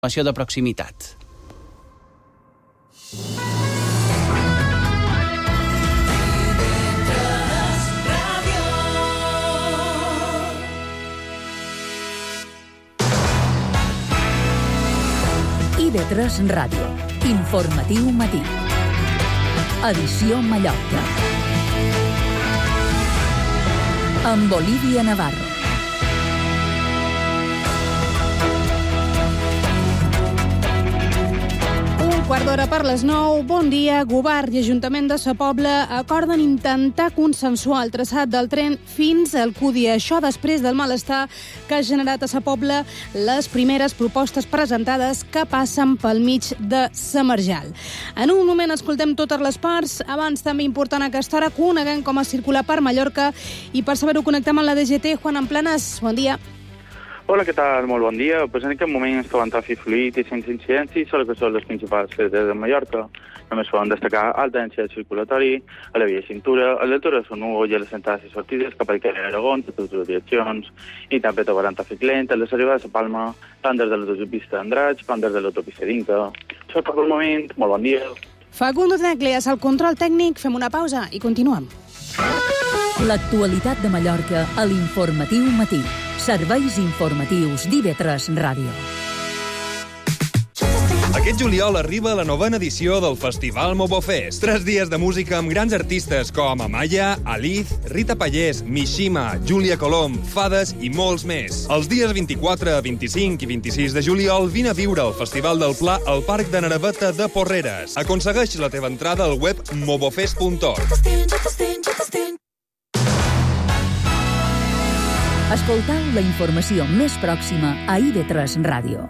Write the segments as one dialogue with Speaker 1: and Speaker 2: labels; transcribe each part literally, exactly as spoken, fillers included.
Speaker 1: informació de proximitat.
Speaker 2: I V tres Ràdio. Informatiu matí. Edició Mallorca. Amb Olivia Navarro.
Speaker 3: Quart d'hora per les nou. Bon dia. Govern i Ajuntament de Sa Pobla acorden intentar consensuar el traçat del tren fins al Cúdia. Això després del malestar que ha generat a Sa Pobla les primeres propostes presentades que passen pel mig de Sa Marjal. En un moment escoltem totes les parts. Abans, també important a aquesta hora, coneguem com es circula per Mallorca i per saber-ho connectem amb la D G T. Juan Amplanas, bon dia.
Speaker 4: Hola, què tal? Molt bon dia. Pues en aquest moment es troben tràfic fluid i sense incidències, solo que són les principals carreteres de Mallorca. Només poden destacar alta densitat circulatori, a la via cintura, a l'altura de Son Hugo i a les entrades i sortides cap al carrer Aragón, de totes les direccions, i també trobaran tràfic lent a les arribades a Palma, tant des de l'autopista d'Andratx com des de l'autopista d'Inca. Això per un moment. Molt bon dia.
Speaker 3: Facundo Tecleas, al control tècnic. Fem una pausa i continuem.
Speaker 2: L'actualitat de Mallorca a l'Informatiu Matí. Serveis informatius d'I V tres Ràdio.
Speaker 5: Aquest juliol arriba la novena edició del Festival Mobofest. Tres dies de música amb grans artistes com Amaya, Aliz, Rita Pallés, Mishima, Júlia Colom, Fades i molts més. Els dies vint-i-quatre, vint-i-cinc i vint-i-sis de juliol vine a viure el Festival del Pla al Parc de Naraveta de Porreres. Aconsegueix la teva entrada al web mobofest punt org.
Speaker 2: Escoltau la informació més pròxima a I V tres Ràdio.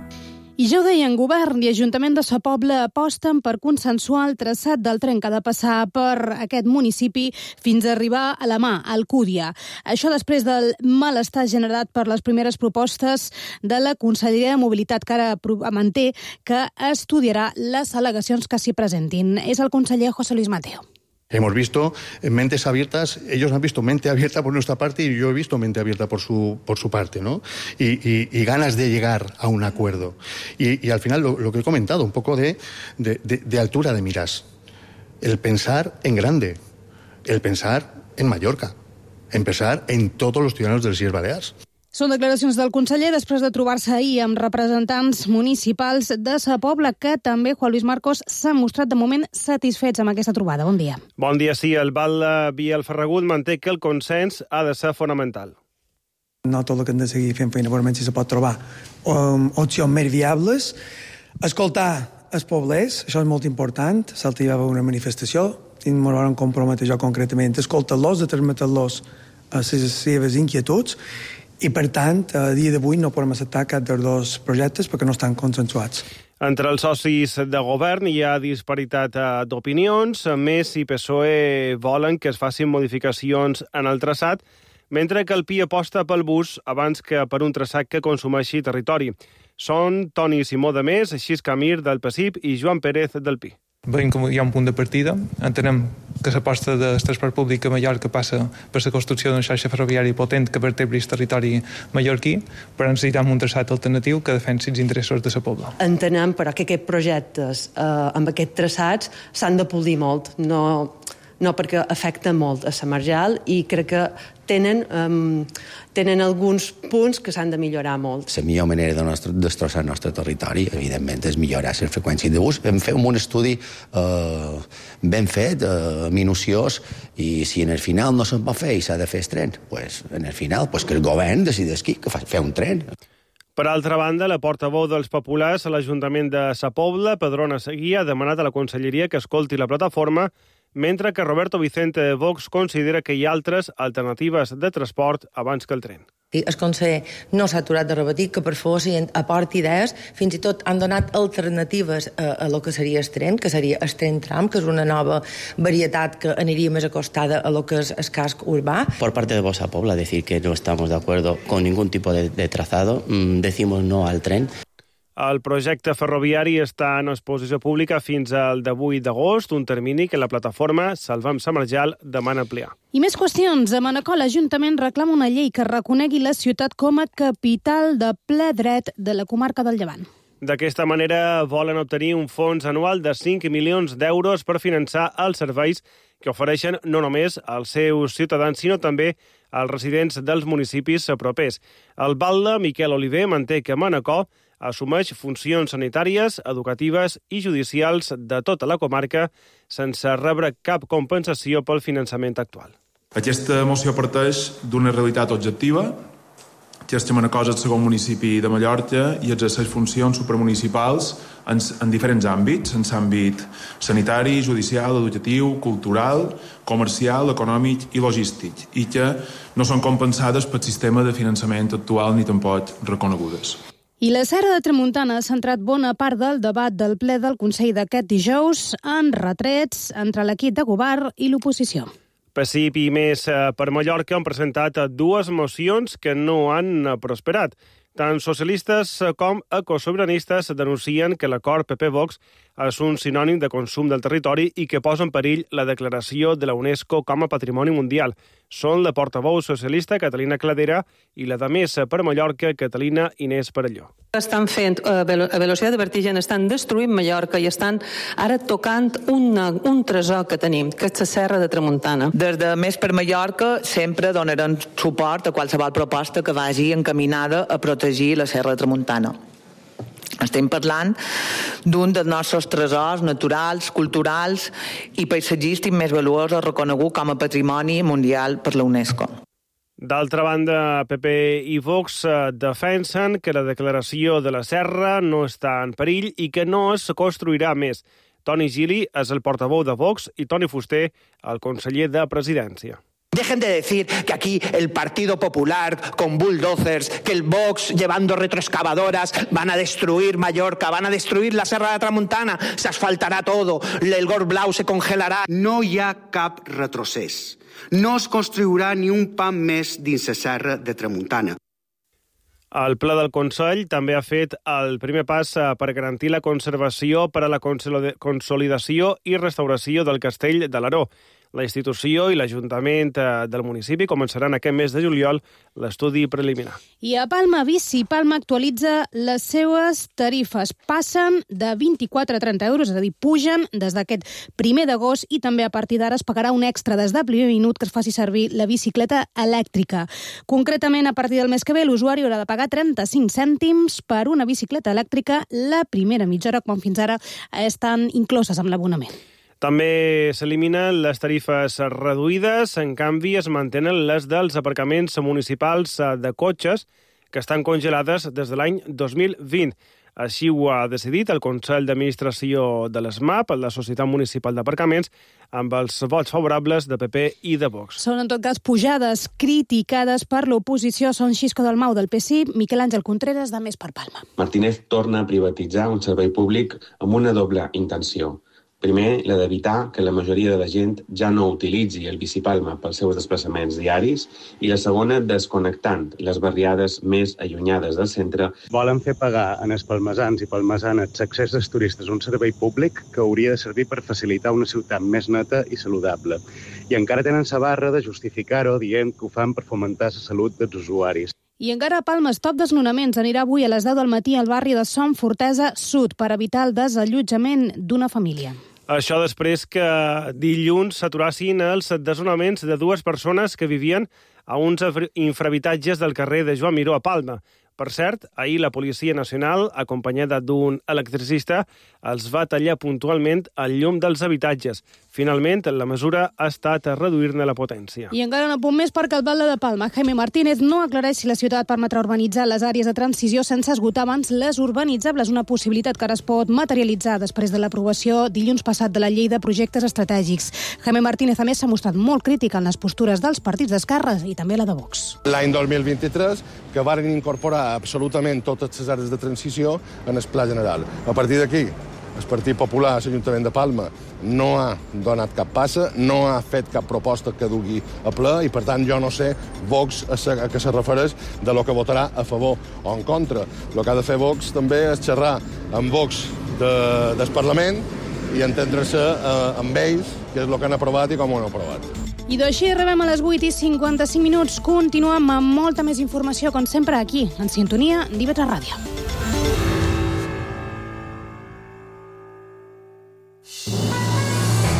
Speaker 3: I ja ho deien, Govern i Ajuntament de Sa Pobla aposten per consensuar el traçat del tren que ha de passar per aquest municipi fins a arribar a la mà, al Cúdia. Això després del malestar generat per les primeres propostes de la Conselleria de Mobilitat, que ara manté que estudiarà les al·legacions que s'hi presentin. És el conseller José Luis Mateo.
Speaker 6: Hemos visto mentes abiertas, ellos han visto mente abierta por nuestra parte y yo he visto mente abierta por su, por su parte, ¿no? Y, y, y ganas de llegar a un acuerdo. Y, y al final lo, lo que he comentado, un poco de, de, de, de altura de miras. El pensar en grande, el pensar en Mallorca, en pensar en todos los ciudadanos de les Illes Balears.
Speaker 3: Són declaracions del conseller després de trobar-se ahir amb representants municipals de Sa Pobla, que també, Juan Luis Marcos, s'ha mostrat de moment satisfets amb aquesta trobada. Bon dia.
Speaker 7: Bon dia, sí. El Val via el Ferragut manté que el consens ha de ser fonamental.
Speaker 8: No tot el que hem de seguir fent feina, veurem si se pot trobar um, opcions més viables. Escoltar els poblers, això és molt important. Salta hi va haver una manifestació i ens vam comprometre jo concretament. Escoltar-los, de transmetre-los les seves inquietuds. I, per tant, a dia d'avui no podem acceptar cap dels dos projectes perquè no estan consensuats.
Speaker 7: Entre els socis de govern hi ha disparitat d'opinions. Més, i P S O E volen que es facin modificacions en el traçat, mentre que el P I aposta pel bus abans que per un traçat que consumeixi territori. Són Toni Simó de Més, Xis Camir del P S I P i Joan Pérez del Pi.
Speaker 9: Veiem que hi ha un punt de partida. Entenem que l'aposta del transport públic a Mallorca passa per la construcció d'una xarxa ferroviària potent que vertebri el territori mallorquí, però necessitem un traçat alternatiu que defensi els interessos de la Pobla.
Speaker 10: Entenem, però, que aquests projectes eh, amb aquests traçats s'han de polir molt, no, no perquè afecta molt a la Marjal i crec que tenen, um, tenen alguns punts que s'han de millorar molt.
Speaker 11: La millor manera de nostre, destrossar el nostre territori, evidentment, és millorar les freqüències de bus. Vam fer un estudi eh, ben fet, eh, minuciós, i si en el final no se'n pot fer i s'ha de fer el tren, pues, en el final pues, que el govern decideix qui que fa, fer un tren.
Speaker 7: Per altra banda, la portaveu dels populars a l'Ajuntament de Sa Pobla, Pedrona Seguí, ha demanat a la Conselleria que escolti la plataforma, mentre que Roberto Vicente de Vox considera que hi ha altres alternatives de transport abans que el tren.
Speaker 12: El conseller no s'ha aturat de repetir que per favor si aporta idees, fins i tot han donat alternatives a, a lo que seria el tren, que seria el tren tram, que és una nova varietat que aniria més acostada a lo que és el casc urbà.
Speaker 13: Por parte de Vox a Pobla, decir que no estamos de acuerdo con ningún tipo de, de trazado, mm, decimos no al tren.
Speaker 7: El projecte ferroviari està en exposició pública fins al divuit d'agost, un termini que la plataforma Salvem Sa Marjal demana ampliar.
Speaker 3: I més qüestions. A Manacor, l'Ajuntament reclama una llei que reconegui la ciutat com a capital de ple dret de la comarca del Llevant.
Speaker 7: D'aquesta manera volen obtenir un fons anual de cinc milions d'euros per finançar els serveis que ofereixen no només als seus ciutadans, sinó també als residents dels municipis propers. El batlle Miquel Oliver manté que Manacor assumeix funcions sanitàries, educatives i judicials de tota la comarca sense rebre cap compensació pel finançament actual.
Speaker 1: Aquesta moció parteix d'una realitat objectiva, que és que Manacor és el segon municipi de Mallorca i exerceix funcions supramunicipals en, en diferents àmbits, en l'àmbit sanitari, judicial, educatiu, cultural, comercial, econòmic i logístic, i que no són compensades pel sistema de finançament actual ni tampoc reconegudes.
Speaker 3: I la Serra de Tramuntana ha centrat bona part del debat del ple del Consell d'aquest dijous en retrets entre l'equip de govern i l'oposició.
Speaker 7: P S I P i Més per Mallorca han presentat dues mocions que no han prosperat. Tant socialistes com ecosobiranistes denuncien que l'acord P P-Vox és un sinònim de consum del territori i que posa en perill la declaració de la UNESCO com a Patrimoni Mundial. Són la portaveu socialista Catalina Cladera i la de Més per Mallorca, Catalina Inés Perelló.
Speaker 14: Estan fent a velocitat de vertigen, estan destruint Mallorca i estan ara tocant una, un tresor que tenim, que és la Serra de Tramuntana.
Speaker 15: Des de Més per Mallorca sempre donaran suport a qualsevol proposta que vagi encaminada a protegir la Serra de Tramuntana. Estem parlant d'un dels nostres tresors naturals, culturals i paisatgístics més valuosos reconegut com a Patrimoni Mundial per la UNESCO.
Speaker 7: D'altra banda, P P i Vox defensen que la declaració de la Serra no està en perill i que no es construirà més. Toni Gili és el portaveu de Vox i Toni Fuster, el conseller de Presidència.
Speaker 16: Dejen de decir que aquí el Partido Popular con bulldozers, que el Vox llevando retroexcavadoras van a destruir Mallorca, van a destruir la Serra de Tramuntana, se asfaltará todo, el Gorg Blau se congelarà.
Speaker 17: No hi ha cap retrocés. No es construirà ni un pam més dins la Serra de Tramuntana.
Speaker 7: El Ple del Consell també ha fet el primer pas per garantir la conservació per a la consolidació i restauració del Castell de l'Aró. La institució i l'Ajuntament del municipi començaran aquest mes de juliol l'estudi preliminar.
Speaker 3: I a Palma Bici, Palma actualitza les seues tarifes. Passen de vint-i-quatre a trenta euros, és a dir, pugen des d'aquest primer d'agost i també a partir d'ara es pagarà un extra des del primer minut que es faci servir la bicicleta elèctrica. Concretament, a partir del mes que ve, l'usuari haurà de pagar trenta-cinc cèntims per una bicicleta elèctrica la primera mitja hora, quan fins ara estan incloses amb l'abonament.
Speaker 7: També s'eliminen les tarifes reduïdes, en canvi es mantenen les dels aparcaments municipals de cotxes que estan congelades des de l'any dos mil vint. Així ho ha decidit el Consell d'Administració de l'ESMAP, la Societat Municipal d'Aparcaments, amb els vots favorables de P P i de Vox.
Speaker 3: Són, en tot cas, pujades criticades per l'oposició. Són Xisco Dalmau del P S I, Miquel Àngel Contreras de Més per Palma.
Speaker 18: Martínez torna a privatitzar un servei públic amb una doble intenció. Primer, la d'evitar que la majoria de la gent ja no utilitzi el Bicipalma pels seus desplaçaments diaris, i la segona, desconnectant les barriades més allunyades del centre.
Speaker 19: Volen fer pagar en els palmesans i palmesanes l'accés dels turistes a un servei públic que hauria de servir per facilitar una ciutat més neta i saludable. I encara tenen la barra de justificar-ho dient que ho fan per fomentar la salut dels usuaris.
Speaker 3: I encara a Palma, Stop Desnonaments anirà avui a les deu del matí al barri de Som Fortesa Sud per evitar el desallotjament d'una família.
Speaker 7: Això després que dilluns s'aturassin els desnonaments de dues persones que vivien a uns infrahabitatges del carrer de Joan Miró a Palma. Per cert, ahir la Policia Nacional, acompanyada d'un electricista, els va tallar puntualment el llum dels habitatges. Finalment, la mesura ha estat a reduir-ne la potència.
Speaker 3: I encara un apunt més perquè el batlle de Palma, Jaime Martínez, no aclareix si la ciutat permetrà urbanitzar les àrees de transició sense esgotar abans les urbanitzables, una possibilitat que ara es pot materialitzar després de l'aprovació dilluns passat de la llei de projectes estratègics. Jaime Martínez, a més, s'ha mostrat molt crític en les postures dels partits d'esquerra i també la de Vox.
Speaker 20: L'any dos mil vint-i-tres, que varen incorporar absolutament totes les àrees de transició en el Pla General. A partir d'aquí, el Partit Popular a l'Ajuntament de Palma no ha donat cap passa, no ha fet cap proposta que dugui a ple i, per tant, jo no sé Vox a què se refereix de lo que votarà a favor o en contra. El que ha de fer Vox també és xerrar amb Vox de, del Parlament i entendre-se eh, amb ells, que és el que han aprovat i com ho han aprovat.
Speaker 3: I d'així arribem a les vuit i cinquanta-cinc minuts. Continuem amb molta més informació, com sempre, aquí, en sintonia d'I V tres Ràdio. Música